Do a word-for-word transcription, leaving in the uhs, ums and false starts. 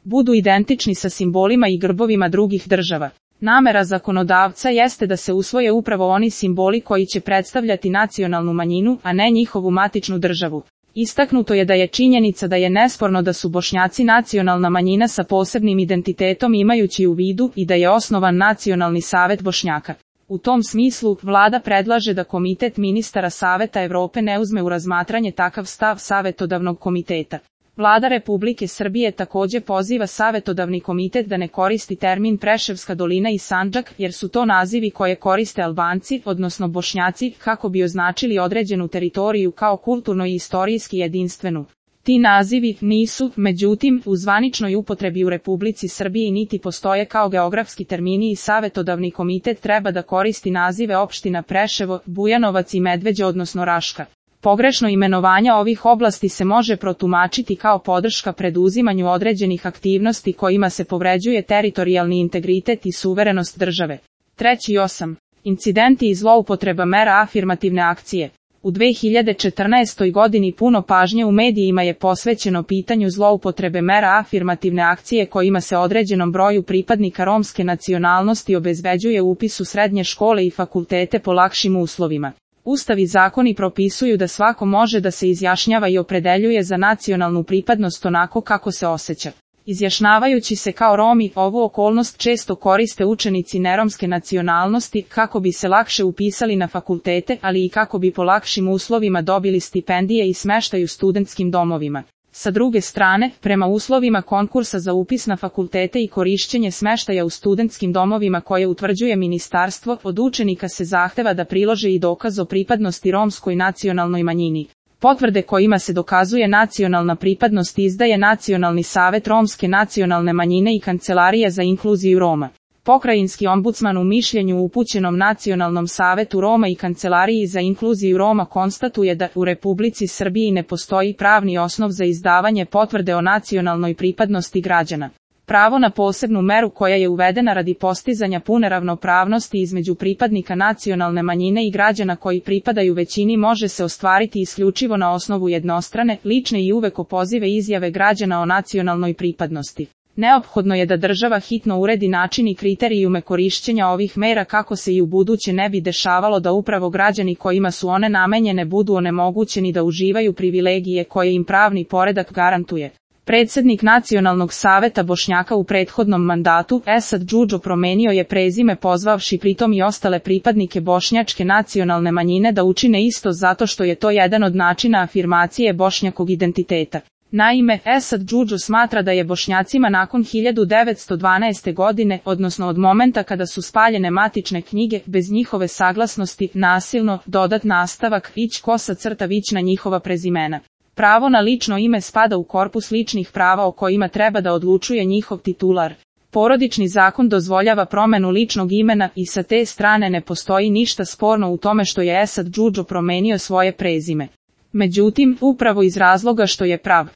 budu identični sa simbolima i grbovima drugih država. Namera zakonodavca jeste da se usvoje upravo oni simboli koji će predstavljati nacionalnu manjinu, a ne njihovu matičnu državu. Istaknuto je da je činjenica da je nesporno da su Bošnjaci nacionalna manjina sa posebnim identitetom imajući u vidu i da je osnovan Nacionalni savet Bošnjaka. U tom smislu, vlada predlaže da Komitet ministara Saveta Evrope ne uzme u razmatranje takav stav Savetodavnog komiteta. Vlada Republike Srbije takođe poziva Savetodavni komitet da ne koristi termin Preševska dolina i Sandžak, jer su to nazivi koje koriste Albanci, odnosno Bošnjaci, kako bi označili određenu teritoriju kao kulturno i istorijski jedinstvenu. Ti nazivi nisu, međutim, u zvaničnoj upotrebi u Republici Srbiji niti postoje kao geografski termini i Savetodavni komitet treba da koristi nazive opština Preševo, Bujanovac i Medveđa odnosno Raška. Pogrešno imenovanje ovih oblasti se može protumačiti kao podrška preduzimanju određenih aktivnosti kojima se povređuje teritorijalni integritet i suverenost države. Treći osam. Incidenti i zloupotreba mera afirmativne akcije. U dve hiljade četrnaestoj godini puno pažnje u medijima je posvećeno pitanju zloupotrebe mera afirmativne akcije kojima se određenom broju pripadnika romske nacionalnosti obezbeđuje upis u srednje škole i fakultete po lakšim uslovima. Ustav i zakoni propisuju da svako može da se izjašnjava i opredeljuje za nacionalnu pripadnost onako kako se osjeća. Izjašnjavajući se kao Romi, ovu okolnost često koriste učenici neromske nacionalnosti kako bi se lakše upisali na fakultete, ali i kako bi po lakšim uslovima dobili stipendije i smeštaj u studentskim domovima. Sa druge strane, prema uslovima konkursa za upis na fakultete i korišćenje smeštaja u studentskim domovima koje utvrđuje ministarstvo, od učenika se zahteva da prilože i dokaz o pripadnosti romskoj nacionalnoj manjini. Potvrde kojima se dokazuje nacionalna pripadnost izdaje Nacionalni savet romske nacionalne manjine i Kancelarija za inkluziju Roma. Pokrajinski ombudsman u mišljenju upućenom Nacionalnom savetu Roma i Kancelariji za inkluziju Roma konstatuje da u Republici Srbiji ne postoji pravni osnov za izdavanje potvrde o nacionalnoj pripadnosti građana. Pravo na posebnu meru koja je uvedena radi postizanja pune ravnopravnosti između pripadnika nacionalne manjine i građana koji pripadaju većini može se ostvariti isključivo na osnovu jednostrane, lične i uvek opozive izjave građana o nacionalnoj pripadnosti. Neophodno je da država hitno uredi način i kriterijume korišćenja ovih mera kako se i u buduće ne bi dešavalo da upravo građani kojima su one namenjene budu onemogućeni da uživaju privilegije koje im pravni poredak garantuje. Predsednik Nacionalnog saveta Bošnjaka u prethodnom mandatu, Esad Džudžo, promenio je prezime pozvavši pritom i ostale pripadnike bošnjačke nacionalne manjine da učine isto zato što je to jedan od načina afirmacije bošnjakog identiteta. Naime, Esad Džudžo smatra da je Bošnjacima nakon hiljadu devetsto dvanaeste. godine, odnosno od momenta kada su spaljene matične knjige, bez njihove saglasnosti, nasilno, dodat nastavak, ić kosa crta vić na njihova prezimena. Pravo na lično ime spada u korpus ličnih prava o kojima treba da odlučuje njihov titular. Porodični zakon dozvoljava promenu ličnog imena i sa te strane ne postoji ništa sporno u tome što je Esad Džudžo promenio svoje prezime. Međutim, upravo iz razloga što je prav